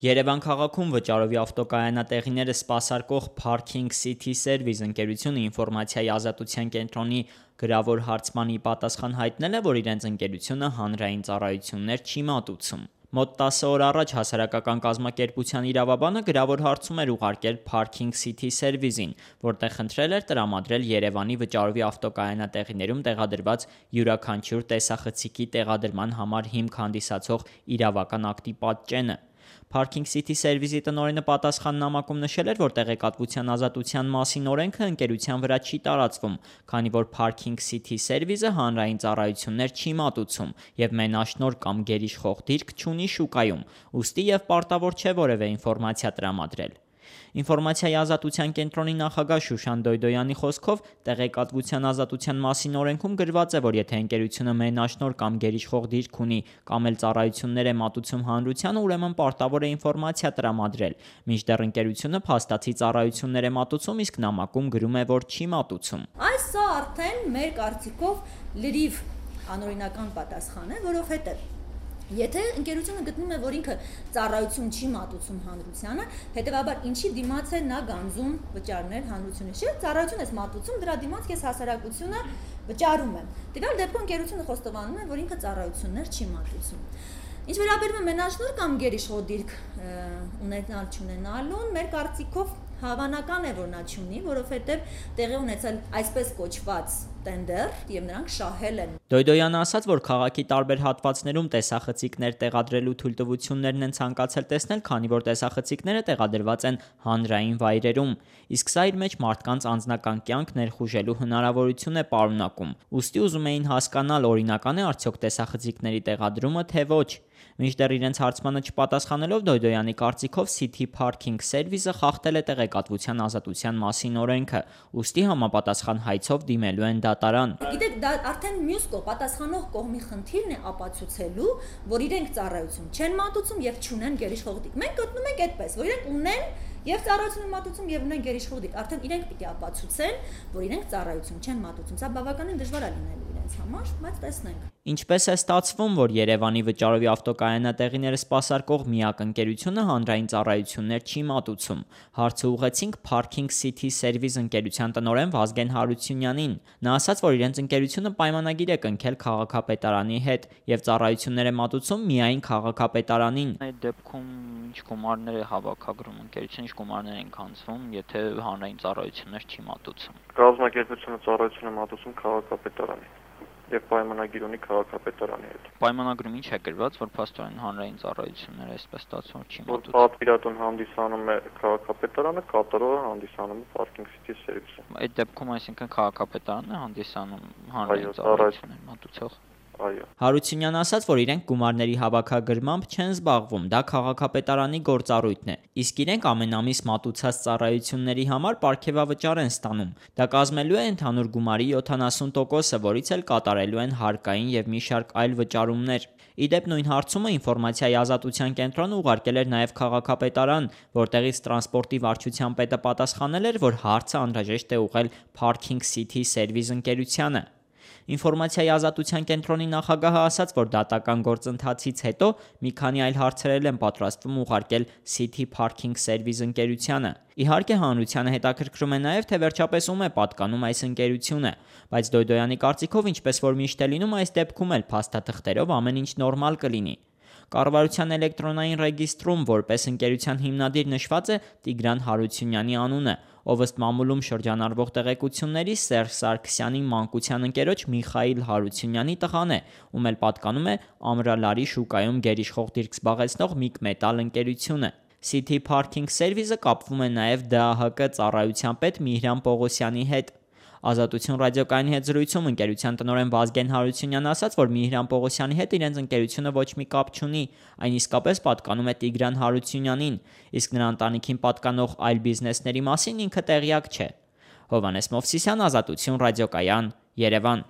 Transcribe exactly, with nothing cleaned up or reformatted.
Երևան քաղաքում վճարովի ավտոկայանատեղիները սպասարկող Parking City Service ընկերությունը ինֆորմացիայի ազատության կենտրոնի գրավոր հարցմանի պատասխան հայտնել է, որ իրենց ընկերությունը հանրային ծառայություններ չի մատուցում։ Մոտ տասը օր առաջ հասարակական կազմակերպության իրավաբանը գրավոր հարցում էր ուղարկել Parking City Service-ին, որտեղ խնդրել էր տրամադրել Երևանի վճարովի ավտոկայանատեղիներում տեղադրված յուրաքանչյուր տեսախցիկի տեղադրման համար հիմք հանդիսացող իրավական ակտի պատճենը։ Parking City Service-ի տնօրենը պատասխան նամակում նշել էր, որ տեղեկատվության ազատության մասին օրենքը ընկերության վրա չի տարածվում, քանի որ Parking City Service-ը հանրային ծառայություններ չի մատուցում եւ մենաշնորհ կամ գերիշխող դիրք չունի շուկայում, ուստի եւ պարտավոր չէ որևէ ինֆորմացիա տրամադրել։ Ինֆորմացիայի ազատության կենտրոնի նախագահ Շուշան Դոյդոյանի խոսքով տեղեկատվության ազատության մասին օրենքում գրված է, որ եթե ընկերությունը մենաշնորհ կամ գերիշխող դիրք ունի կամ էլ ծառայություններ է մատուցում հանրությանը, ուրեմն պարտավոր է ինֆորմացիա տրամադրել, մինչդեռ ընկերությունը փաստացի ծառայություններ է մատուցում, իսկ նամակում գրում է, որ չի մատուցում։ Այս սա արդեն մեր կարծիքով լրիվ անօրինական պատասխան է, որովհետև եթե ընկերությունը գտնում է, որ ինքը ծառայություն չի մատուցում հանրությանը, հետևաբար ինչի դիմաց է նա գանձում վճարներ հանրությունը։ Չէ, ծառայություն ես մատուցում, դրա դիմաց ես հասարակությունը վճարում եմ։ Տվյալ դեպքում ընկերությունը խոստովանում է, որ ինքը ծառայություններ չի մատուցում։ Ինչ վերաբերում է մենաշնորհ կամ գերիշխող դիրք ունենալ չունենալուն, մեր կարծիքով հավանական է, որ նա չունի, որովհետև տեղի ունեցել այսպես կոչված տենդեր եւ նրանք շահել են։ Դոյդոյանը ասաց, որ քաղաքի տարբեր հատվածներում տեսախցիկներ տեղադրելու թույլտվություններն են ցանկացել տեսնել, քանի որ տեսախցիկները տեղադրված են հանրային վայրերում, իսկ սա իր մեջ մարդկանց անձնական կյանք ներխուժելու հնարավորություն է պարունակում։ Ուստի ուզում էին հասկանալ, օրինական է արդյոք տեսախցիկների տեղադրումը, թե ոչ։ Մինչդեռ իրենց հարցմանը չպատասխանելով Դոյդոյանի կարծիքով City Parking Service-ը խախտել է տեղեկատվության ազատության մասին օրենքը, ուստի համապատասխան հայցով դիմելու են դատարան։ Գիտեք, դա արդեն մյուս կողմ պատասխանող կողմի խնդիրն է ապացուցելու, որ իրենք ծառայություն չեն մատուցում եւ չունեն գերիշխող դիրք։ Մենք գտնում ենք այդպես, որ իրենք ունեն եւ ծառայություն են մատուցում եւ ունեն գերիշխող դիրք։ Արդեն իրենք պիտի ապացուցեն, որ իրենք ծառայություն չեն մատուցում։ Սա բավականին դժվար է լինելու իրենց համար, բայց տեսնենք։ Ինչպես է ստացվում, որ Երևանի վճարովի ավտոկայանատեղիները սպասարկող միակ ընկերությունը հանրային ծառայություններ չի մատուցում։ Հարցը ուղղեցինք Parking City Service ընկերության տնօրեն Վազգեն Հարությունյանին։ Նա ասաց, որ իրենց ընկերությունը պայմանագիր է կնքել քաղաքապետարանի հետ եւ ծառայություններ է մատուցում միայն քաղաքապետարանին։ Այդ դեպքում ինչ գումարներ է հավաքագրում ընկերությունը, ինչ գումարներ են քանձվում, եթե հանրային ծառայություններ չի մատուցում։ Կազմակերպությունը ծառայություն է մատուցում քաղաքապետարանին եւ պայմանագիր ունի քաղաքապետարանի հետ։ Պայմանագրում ինչ է գրված, որ փաստորեն հանրային ծառայությունները այսպես ստացվում չի մատուցում։ Պատվիրատուն հանդիսանում է քաղաքապետարանը, կատարողը հանդիսանում է Parking City Service-ը։ Այդ դեպքում այսինքն քաղաքապետարանն է հանդիսանում հանրային ծառայություններ մատուցող։ Այո։ Հարությունյանը ասաց, որ իրենք գումարների հավաքագրմամբ չեն զբաղվում, դա քաղաքապետարանի գործառույթն է, իսկ իրենք ամեն ամիս մատուցած ծառայությունների համար պարգևավճար են ստանում։ Դա կազմելու է ընդհանուր գումարի յոթանասուն տոկոսը, որից էլ կատարելու են հարկային եւ մի շարք այլ վճարումներ։ Իդեպ նույն հարցումը ինֆորմացիայի ազատության կենտրոնը ուղարկել էր նաև քաղաքապետարան, որտեղից տրանսպորտի վարչության պետը պատասխանել էր, որ հարցը անհրաժեշտ է ուղղել Parking City Service ընկերությանը։ Ինֆորմացիայի ազատության կենտրոնի նախագահը ասաց, որ դատական գործընթացից հետո մի քանի այլ հարցեր են պատրաստվում ուղարկել City Parking Service ընկերությանը։ Իհարկե հանրությանը հետաքրքրում է նաև, թե վերջապես ում է պատկանում այս ընկերությունը, բայց Դոյդոյանի կարծիքով, ինչպես որ միշտ է լինում, այս դեպքում էլ փաստաթղթերով ամեն ինչ նորմալ կլինի։ Կառավարության էլեկտրոնային ռեգիստրում որպես ընկերության հիմնադիր նշված է Տիգրան Հարությունյանի անունը, ով ըստ մամուլում շրջանառվող տեղեկությունների Սերժ Սարգսյանի մանկության ընկերոջ Միխայիլ Հարությունյանի տղան է, ում էլ պատկանում է Ամրալարի շուկայում գերիշխող դիրք զբաղեցնող Միք Մետալ ընկերությունը։ City Parking Service-ը կապվում է նաև Դե Ա Հ Կ ծառայության պետ Միհրան Պողոսյանի հետ։ Ազատություն ռադիոկայանի հետ զրույցում ընկերության տնօրեն Վազգեն Հարությունյանը ասաց, որ Միհրան Պողոսյանի հետ իրենց ընկերությունը ոչ մի կապ չունի, այն իսկապես պատկանում է Տիգրան Հարությունյանին, իսկ նրա ընտանիքին պատկանող այլ բիզնեսների մասին ինքը տեղյակ չէ։ Հովհաննես Մովսիսյան, Ազատություն ռադիոկայան, Երևան։